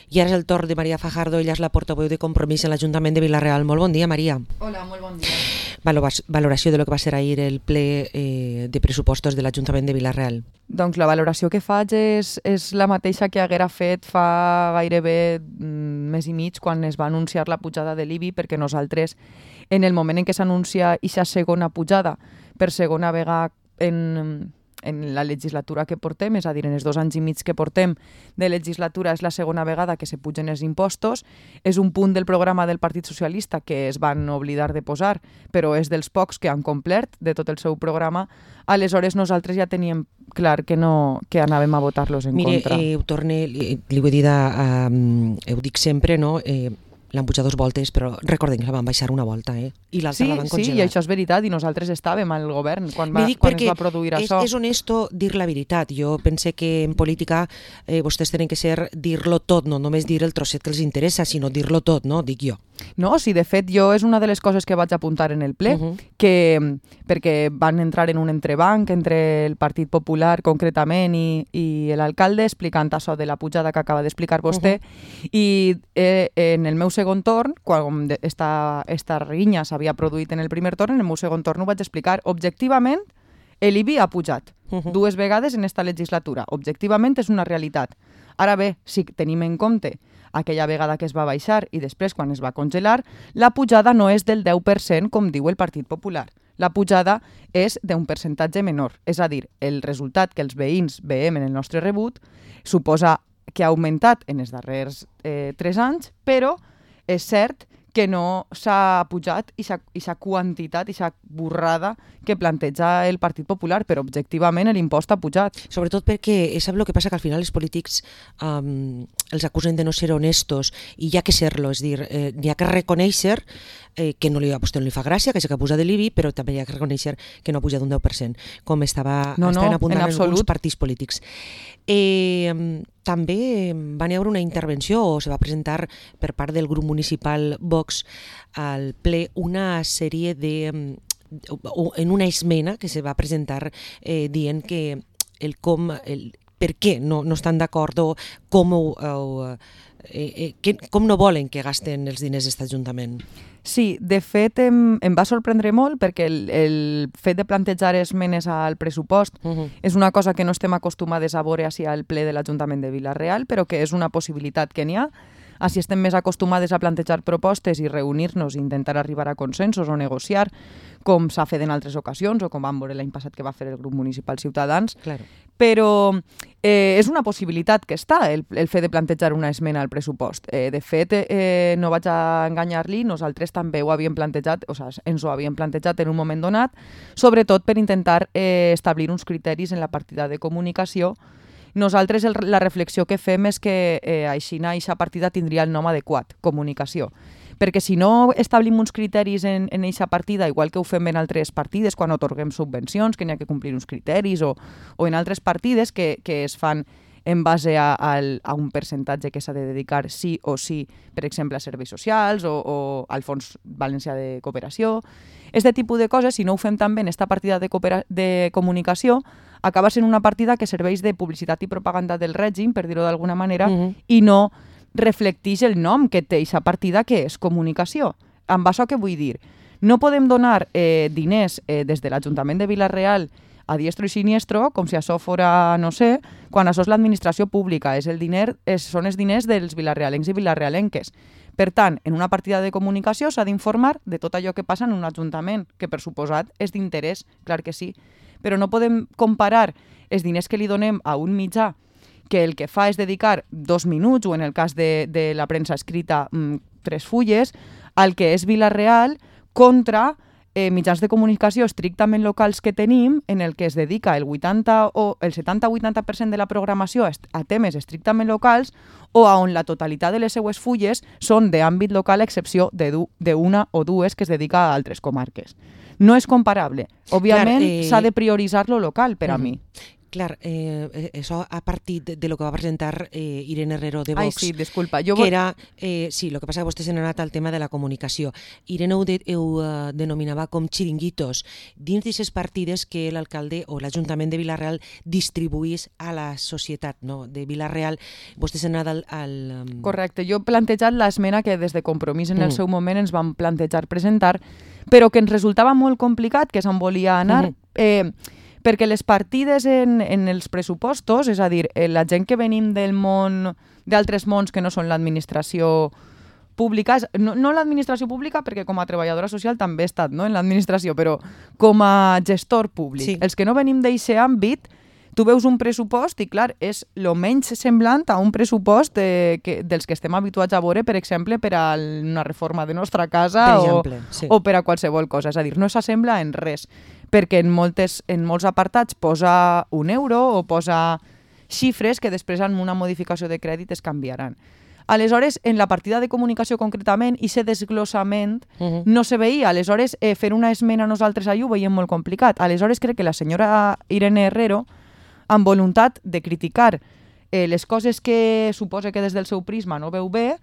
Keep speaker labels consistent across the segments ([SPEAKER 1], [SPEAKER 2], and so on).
[SPEAKER 1] I ara és el torn de Maria Fajardo, ella és la portaveu de Compromís en l'Ajuntament de Vila-real. Molt bon dia, Maria.
[SPEAKER 2] Hola, molt bon dia.
[SPEAKER 1] Valoració de lo que va ser ahir el ple de pressupostos de l'Ajuntament de Vila-real.
[SPEAKER 2] Doncs la valoració que faig és la mateixa que haguera fet fa gairebé mes i mig quan es va anunciar la pujada de l'IBI, perquè nosaltres, en el moment en què s'anuncia aquesta segona pujada, per segona vegada en la legislatura que portem, és a dir, en els 2 anys i mig que portem de legislatura, és la segona vegada que se pugen els impostos. És un punt del programa del Partit Socialista que es van oblidar de posar, però és dels pocs que han complert de tot el seu programa. Aleshores, nosaltres ja teníem clar que anàvem a votar-los en contra.
[SPEAKER 1] Mire, ho torne, li ho he dit, ho dic sempre, no? L'han pujat 2 voltes, però recordem que la van baixar una volta, i l'altra la van congelar.
[SPEAKER 2] Sí, i això és veritat, i nosaltres estàvem al govern quan es va produir això.
[SPEAKER 1] És honesto dir la veritat. Jo pense que en política vostès tenen que ser dir-lo tot, no només dir el trosset que els interessa, sinó dir-lo tot, no? Dic jo.
[SPEAKER 2] No, sí, de fet, jo és una de les coses que vaig apuntar en el ple, perquè van entrar en un entrebanc entre el Partit Popular, concretament, i l'alcalde, explicant això de la pujada que acaba d'explicar vostè, i en el meu segon torn, quan esta rinya s'havia produït en el primer torn, en el meu segon torn ho vaig explicar. Objectivament, l'IBI ha pujat 2 vegades en esta legislatura. Objectivament és una realitat. Ara bé, si tenim en compte aquella vegada que es va baixar i després quan es va congelar, la pujada no és del 10% com diu el Partit Popular. La pujada és d'un percentatge menor. És a dir, el resultat que els veïns veiem en el nostre rebut suposa que ha augmentat en els darrers 3 anys, però és cert que no s'ha pujat aquesta quantitat, aquesta borrada que planteja el Partit Popular, però objectivament l'impost ha pujat.
[SPEAKER 1] Sobretot perquè, sap el que passa? Que al final els polítics els acusen de no ser honestos i hi ha que ser-lo, és dir, n'hi ha que reconèixer que a vostè no li fa gràcia, que s'ha posat de l'IBI, però també hi ha que reconèixer que no ha pujat un 10%, com estaven apuntant alguns partits polítics. També va haver una intervenció, o se va presentar per part del grup municipal Vox al ple una sèrie en una esmena que se va presentar dient que per què no estan d'acord o com no volen que gasten els diners d'aquest Ajuntament.
[SPEAKER 2] Sí, de fet em va sorprendre molt perquè el fet de plantejar esmenes al pressupost és una cosa que no estem acostumades a veure així al ple de l'Ajuntament de Vila-real, però que és una possibilitat que n'hi ha. Així estem més acostumades a plantejar propostes i reunir-nos i intentar arribar a consensos o negociar, com s'ha fet en altres ocasions o com vam veure l'any passat que va fer el grup municipal Ciutadans.
[SPEAKER 1] Claro.
[SPEAKER 2] Però és una possibilitat que està, el fet de plantejar una esmena al pressupost. De fet, no vaig a enganyar-li, nosaltres també ho havíem plantejat, ens ho havíem plantejat en un moment donat, sobretot per intentar establir uns criteris en la partida de comunicació. Nosaltres la reflexió que fem és que així aquesta partida tindria el nom adequat, comunicació. Perquè si no establim uns criteris en aquesta partida, igual que ho fem en altres partides, quan atorguem subvencions, que n'hi ha que complir uns criteris, o en altres partides que es fan en base a un percentatge que s'ha de dedicar sí o sí, per exemple, a serveis socials o al Fons Valencià de Cooperació. Aquest tipus de coses, si no ho fem també en aquesta partida de comunicació, acaba sent una partida que serveix de publicitat i propaganda del règim, per dir-ho d'alguna manera, i no reflecteix el nom que té aquesta partida, que és comunicació. Amb això què vull dir? No podem donar diners des de l'Ajuntament de Vila-real a diestro i siniestro, com si això fora, no sé, quan això és l'administració pública, són els diners dels vilarealencs i vilarealenques. Per tant, en una partida de comunicació s'ha d'informar de tot allò que passa en un ajuntament, que per suposat és d'interès, clar que sí. Però no podem comparar els diners que li donem a un mitjà que el que fa és dedicar 2 minuts, o en el cas de la premsa escrita 3 fulles, al que és Vila-real, contra mitjans de comunicació estrictament locals que tenim, en el que es dedica el 70 o 80% de la programació a temes estrictament locals, o on la totalitat de les seues fulles són d'àmbit local, a excepció d'una o 2 que es dedica a altres comarques. No és comparable. Òbviament, s'ha de prioritzar lo local, per a mi.
[SPEAKER 1] Clar, això a partir de lo que va presentar Irene Herrero de Vox.
[SPEAKER 2] Ai, sí, disculpa.
[SPEAKER 1] Que era, sí, el que passa que vostè se n'ha anat al tema de la comunicació. Irene ho denominava com xiringuitos dins d'aquestes partides que l'alcalde o l'Ajuntament de Vila-real distribuís a la societat, no? De Vila-real. Vostè se n'ha anat al...
[SPEAKER 2] Correcte. Jo he plantejat l'esmena que des de Compromís en el seu moment ens vam plantejar presentar, però que ens resultava molt complicat, que se'n volia anar... perquè les partides en els pressupostos, és a dir, la gent que venim del món, d'altres mons que no són l'administració pública, no l'administració pública perquè com a treballadora social també he estat, no, en l'administració, però com a gestor públic. Sí. Els que no venim d'aquest àmbit, tu veus un pressupost i, clar, és el menys semblant a un pressupost dels que estem habituats a veure, per exemple, per a una reforma de nostra casa o per a qualsevol cosa. És a dir, no s'assembla en res, perquè en molts apartats posa €1 o posa xifres que després amb una modificació de crèdit es canviaran. Aleshores, en la partida de comunicació concretament, aquest desglossament no se veia. Aleshores, fer una esmena nosaltres allà ho veiem molt complicat. Aleshores, crec que la senyora Irene Herrero, amb voluntat de criticar les coses que suposa que des del seu prisma no veu bé,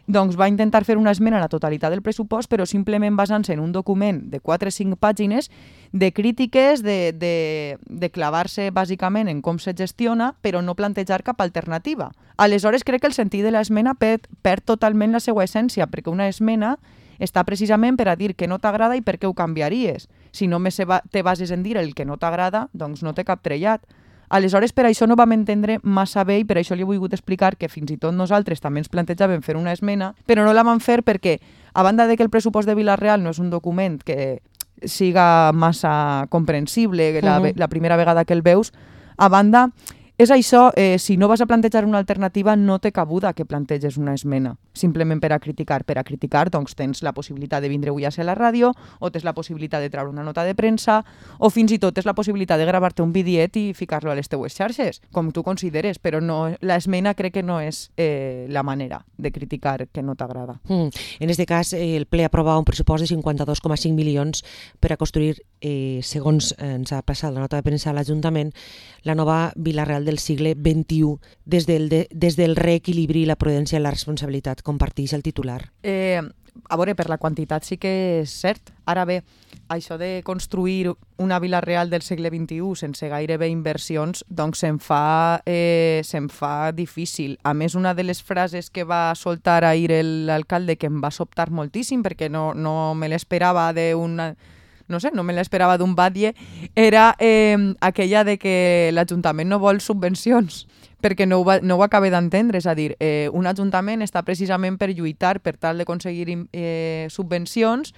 [SPEAKER 2] doncs va intentar fer una esmena a la totalitat del pressupost, però simplement basant-se en un document de 4 o 5 pàgines de crítiques, de clavar-se bàsicament en com se gestiona, però no plantejar cap alternativa. Aleshores, crec que el sentit de l'esmena perd totalment la seva essència, perquè una esmena està precisament per a dir que no t'agrada i per què ho canviaries. Si només te bases en dir el que no t'agrada, doncs no té cap trellat. Aleshores, per això no vam entendre massa bé i per això li he volgut explicar que fins i tot nosaltres també ens plantejàvem fer una esmena, però no la vam fer perquè, a banda de que el pressupost de Vila-real no és un document que siga massa comprensible la primera vegada que el veus, a banda, és això, si no vas a plantejar una alternativa, no té cabuda que planteges una esmena, simplement per a criticar. Per a criticar, doncs, tens la possibilitat de vindre avui a ser a la ràdio, o tens la possibilitat de treure una nota de premsa, o fins i tot tens la possibilitat de gravar-te un videet i ficar-lo a les teues xarxes, com tu consideres, però no, l'esmena crec que no és la manera de criticar que no t'agrada.
[SPEAKER 1] En aquest cas, el ple aprova un pressupost de 52,5 milions per a construir, segons ens ha passat la nota de premsa a l'Ajuntament, la nova Vila-real del segle XXI, des del reequilibri, la prudència i la responsabilitat. Comparteix el titular.
[SPEAKER 2] A veure, per la quantitat sí que és cert. Ara bé, això de construir una Vila-real del segle XXI sense gairebé inversions, doncs se'm fa difícil. A més, una de les frases que va soltar ahir l'alcalde que em va sobtar moltíssim, perquè no me l'esperava no me l'esperava d'un batlle, era aquella de que l'Ajuntament no vol subvencions, perquè no ho acaba d'entendre. És a dir, un ajuntament està precisament per lluitar per tal d'aconseguir subvencions,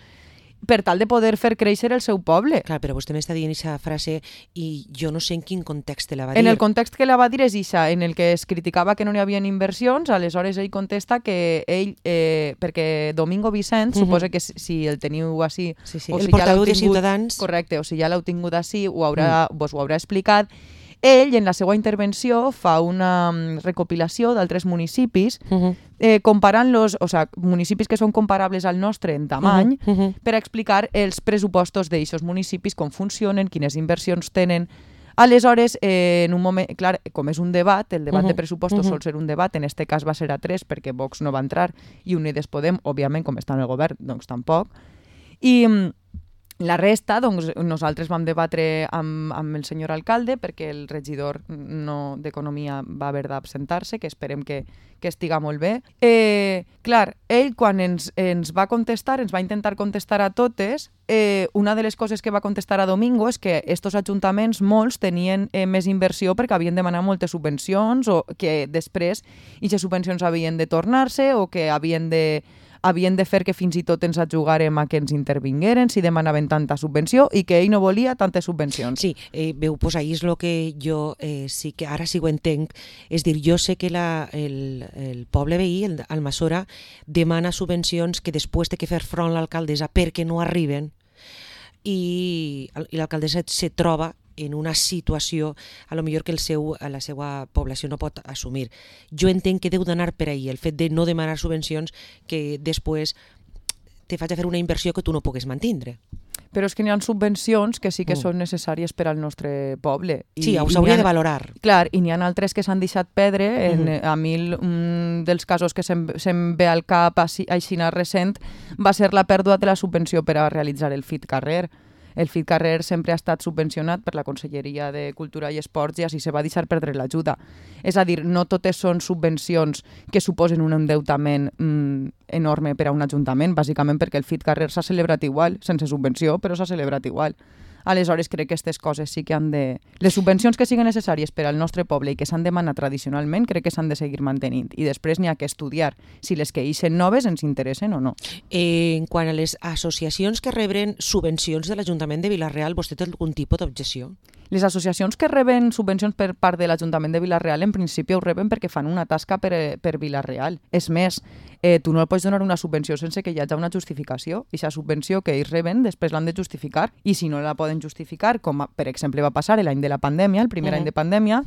[SPEAKER 2] per tal de poder fer créixer el seu poble.
[SPEAKER 1] Clar, però vostè m'està dient aquesta frase i jo no sé en quin context la va dir.
[SPEAKER 2] En el context que la va dir és ixa, en el que es criticava que no hi havia inversions. Aleshores ell contesta que ell, perquè Domingo Vicent, suposa que si el teniu així...
[SPEAKER 1] Sí, el portaveu de Ciutadans...
[SPEAKER 2] Correcte, o si ja l'heu tingut així, vos ho haurà explicat. Ell, en la seva intervenció, fa una recopilació d'altres municipis, comparant-los, o sigui, municipis que són comparables al nostre en tamany, per explicar els pressupostos d'aquests municipis, com funcionen, quines inversions tenen. Aleshores, en un moment, clar, com és un debat, el debat de pressupostos sol ser un debat, en aquest cas va ser a 3 perquè Vox no va entrar i Unides Podem, òbviament, com està en el govern, doncs tampoc. I la resta, doncs, nosaltres vam debatre amb el senyor alcalde perquè el regidor d'Economia va haver d'absentar-se, que esperem que estiga molt bé. Clar, ell quan ens va contestar, ens va intentar contestar a totes, una de les coses que va contestar a Domingo és que estos ajuntaments molts tenien més inversió perquè havien demanat moltes subvencions o que després aquestes subvencions havien de tornar-se o que havien de fer que fins i tot ens ajugàrem a que ens intervingueren si demanaven tanta subvenció i que ell no volia tantes subvencions.
[SPEAKER 1] Sí, veu, pues ahí és el que jo sí que ara sí ho entenc. És dir, jo sé que el poble veí, el Almassora, demana subvencions que després té que fer front l'alcaldessa perquè no arriben i l'alcaldessa se troba en una situació a lo millor que la seva població no pot assumir. Jo entenc que deu d'anar per ahí el fet de no demanar subvencions que després te faig a fer una inversió que tu no pugues mantindre.
[SPEAKER 2] Però és que n'hi ha subvencions que sí que són necessàries per al nostre poble.
[SPEAKER 1] Sí, s'hauria de valorar.
[SPEAKER 2] Clar, i n'hi ha altres que s'han deixat perdre. A mi un dels casos que se'm ve al cap així recent va ser la pèrdua de la subvenció per a realitzar el FIT Carrer. El FIT Carrer sempre ha estat subvencionat per la Conselleria de Cultura i Esports i així se va deixar perdre l'ajuda. És a dir, no totes són subvencions que suposen un endeutament enorme per a un ajuntament, bàsicament perquè el FIT Carrer s'ha celebrat igual, sense subvenció, però s'ha celebrat igual. Aleshores, crec que aquestes coses sí que han de... Les subvencions que siguin necessàries per al nostre poble i que s'han demanat tradicionalment, crec que s'han de seguir mantenint. I després n'hi ha que estudiar si les que ixen noves ens interessen o no.
[SPEAKER 1] En quant a les associacions que rebren subvencions de l'Ajuntament de Vila-real, vostè té algun tipus d'objecció?
[SPEAKER 2] Les associacions que reben subvencions per part de l'Ajuntament de Vila-real en principi ho reben perquè fan una tasca per Vila-real. És més, tu no pots donar una subvenció sense que hi hagi una justificació. I aquesta subvenció que ells reben després l'han de justificar i si no la poden justificar, com per exemple va passar l'any de la pandèmia, el primer any de pandèmia,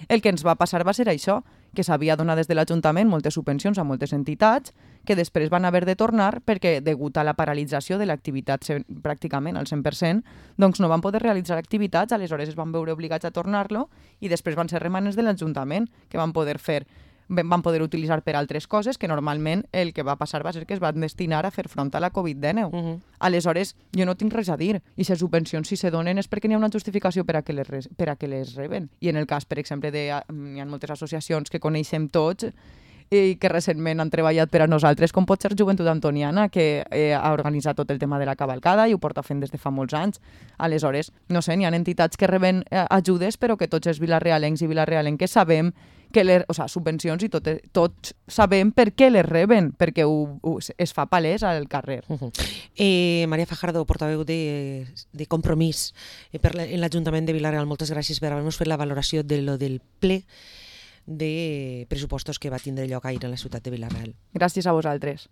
[SPEAKER 2] el que ens va passar va ser això, que s'havia donat des de l'Ajuntament moltes subvencions a moltes entitats que després van haver de tornar perquè, degut a la paralització de l'activitat pràcticament al 100%, doncs no van poder realitzar activitats, aleshores es van veure obligats a tornar-lo i després van ser remanes de l'Ajuntament que van poder utilitzar per altres coses que normalment el que va passar va ser que es van destinar a fer front a la Covid-19. Aleshores, jo no tinc res a dir. I les subvencions, si se donen, és perquè n'hi ha una justificació per a que les reben. I en el cas, per exemple, hi ha moltes associacions que coneixem tots i que recentment han treballat per a nosaltres, com pot ser Joventut Antoniana, que ha organitzat tot el tema de la cavalcada i ho porta fent des de fa molts anys. Aleshores, no sé, n'hi ha entitats que reben ajudes, però que tots els vilarealencs i vilarealenques sabem que subvencions i tots sabem per què les reben, perquè es fa palès al carrer.
[SPEAKER 1] Maria Fajardo, portaveu de Compromís en l'Ajuntament de Vila-real, moltes gràcies per haver-nos fet la valoració del ple de pressupostos que va tindre lloc ahir a la ciutat de Vila-real.
[SPEAKER 2] Gràcies a vosaltres.